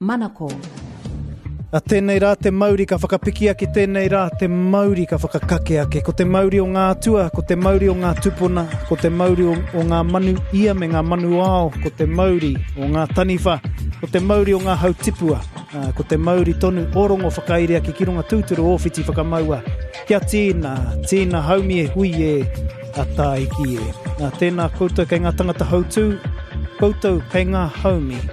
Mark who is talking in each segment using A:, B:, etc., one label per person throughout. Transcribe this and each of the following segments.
A: Manako.
B: A tēnei rā te mauri ka whakapiki ake, tēnei rā te mauri ka whakakake ake. Ko te mauri o ngā atua, ko te mauri o ngā tupuna, ko te mauri o, o ngā manu ia me ngā manu ao, ko te mauri o ngā taniwha, ko te mauri o ngā hau tipua, ko te mauri tonu o rongo whakairi ake ki runga tūturu o whiti whakamaua. Kia tīna, tīna haumi e hui e, a tāiki e. Nā, tēnā koutou kei ngā tangata hautū, koutou kei ngā haumi.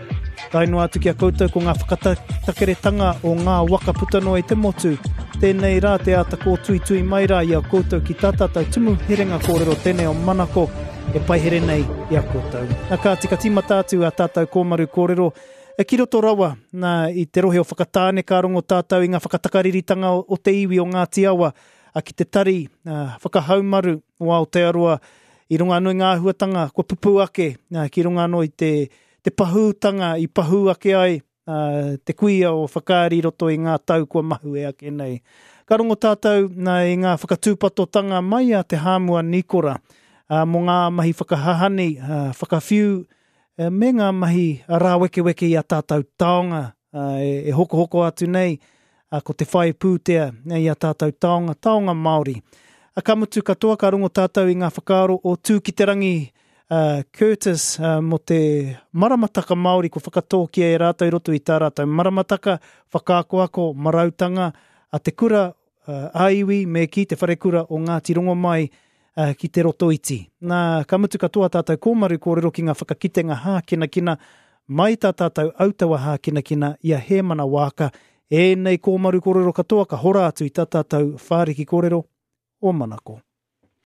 B: Tae noa atu ki a koutou ko ngā whakatakeretanga o ngā waka puta noa i te motu. Tēnei rā te āta kōtuitui mai rā i a koutou ki tā tātou tumu herenga kōrero tēnei o Manako e paihere nei i a koutou. Nā kāti ka tīmata atu a tātou kōmaru kōrero e ki roto rawa nā i te rohe o Whakatāne ka rongo tātou i ngā whakatakariritanga o te iwi o Ngāti Awa a ki te tari whakahaumaru o Aotearoa i runga anō i ngā āhuatanga kua pupū ake ki runga anō i te te pahūtanga i pahū ake ai te kuia o Whakaari i roto i ngā tau kua mahue ake nei. Ka rongo tātou i ngā whakatūpatotanga mai a Te Hāmua Nikora mō ngā mahi whakahahani, whakawhiu me ngā mahi rāwekeweke i a tātou taonga e hokohoko atu nei ko te whai pūtea i a tātou taonga, taonga Māori. Ka mutu katoa ka rongo tātou i ngā whakaaro o Tūkiterangi Curtis mō te maramataka Māori kua whakatōkia e rātou i roto i tā rātou maramataka, whakaakoako, marautanga a te kura ā-iwi me kī te wharekura o Ngāti Rongomai ki Te Rotoiti. Nā, ka mutu katoa tātou kōmaru kōrero ki ngā whakakitenga hākinakina mai tā tātou autaua hākinakina i a Hēmana Waaka. Ēnei kōmaru kōrero katoa ka hora atu i tā tātou whāriki kōrero o Manako.